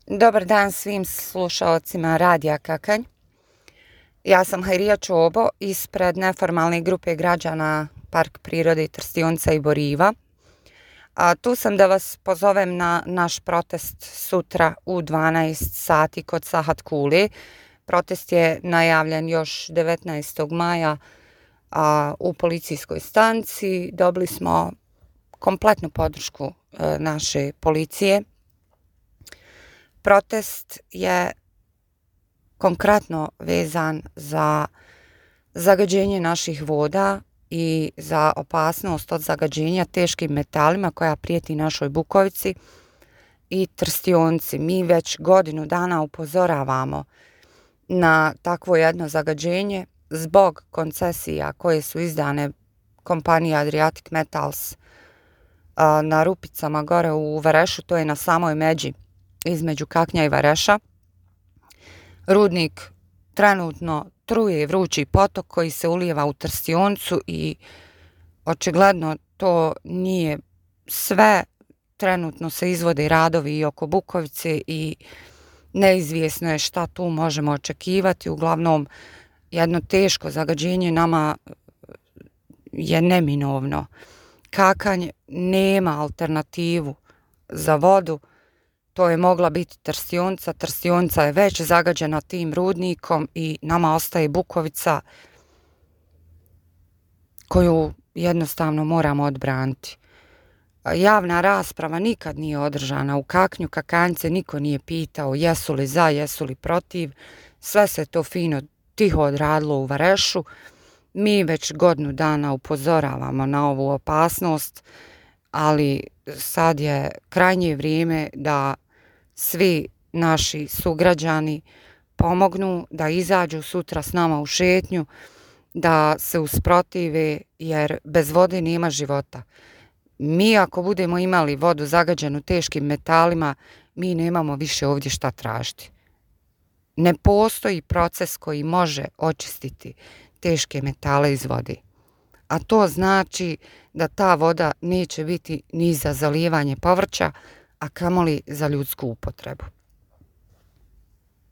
Dobar dan svim slušalcima Radija Kakanj. Ja sam Hajrija Čobo ispred neformalne grupe građana Park prirode Trstionica i Boriva. Tu sam da vas pozovem na naš protest sutra u 12 sati kod Sahat Kule. Protest je najavljen još 19. maja u policijskoj stanici. Dobili smo kompletnu podršku naše policije. Protest je konkretno vezan za zagađenje naših voda i za opasnost od zagađenja teškim metalima koja prijeti našoj Bukovici i Trstionci. Mi već godinu dana upozoravamo na takvo jedno zagađenje zbog koncesija koje su izdane kompaniji Adriatic Metals na Rupicama gore u Varešu, to je na samoj međi između Kaknja i Vareša. Rudnik trenutno truje vrući potok koji se ulijeva u Trstioncu i očigledno to nije sve. Trenutno se izvode radovi i oko Bukovice i neizvjesno je šta tu možemo očekivati. Uglavnom, jedno teško zagađenje nama je neminovno. Kakanj nema alternativu za vodu. To je mogla biti Trstionca. Trstionca je već zagađena tim rudnikom i nama ostaje Bukovica koju jednostavno moramo odbraniti. Javna rasprava nikad nije održana u Kaknju. Kakanjce niko nije pitao jesu li za, jesu li protiv. Sve se to fino tiho odradilo u Varešu. Mi već godinu dana upozoravamo na ovu opasnost, ali sad je krajnje vrijeme da svi naši sugrađani pomognu, da izađu sutra s nama u šetnju, da se usprotive, jer bez vode nema života. Mi ako budemo imali vodu zagađenu teškim metalima, mi nemamo više ovdje šta tražiti. Ne postoji proces koji može očistiti teške metale iz vode. A to znači da ta voda neće biti ni za zalijevanje povrća, a kamoli za ljudsku upotrebu.